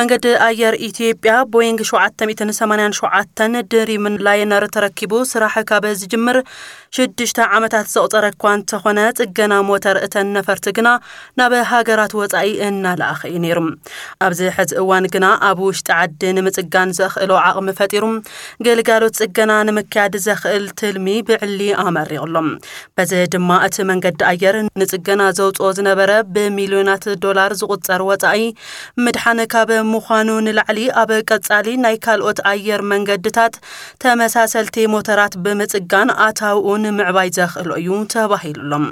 መንገዲ ኣየር ኢትዮጵያ ቦይንግ ሸውዓተ ሚእትን ሰማንያን ሸውዓተን ድሪምን ላይነር ተረኪቡ ስራሕ ካብ ዝጅምር ሽዱሽተ ዓመታት ዘቑጸረ እኳ እንተኾነ፣ ጽገና ሞተር እተን ነፈርቲ ግና ናብ ሃገራት ወጻኢ እናለኣኸ እዩ ነይሩ። ኣብዚ ሕዚ እዋን ግና ኣብ ውሽጢ ዓዲ ንምጽጋን ዘኽእሎ ዓቕሚ ፈጢሩ፣ ግልጋሎት ጽገና ንምክያድ ዘኽእል ትልሚ ብዕሊ ኣመሪቑ ኣሎ። በዚ ድማ እቲ መንገዲ ኣየር ንጽገና ዘውጽኦ ዝነበረ ብሚልዮናት ዶላር ዝቑጸር ወጻኢ ምድሓን ካብ ምዃኑ ንላዕሊ፣ ኣብ ቀጻሊ ናይ ካልኦት ኣየር መንገድታት ተመሳሰልቲ ሞተራት ብምጽጋን ኣታውኡ ንምዕባይ ዘኽእሎ እዩ ተባሂሉ ኣሎ።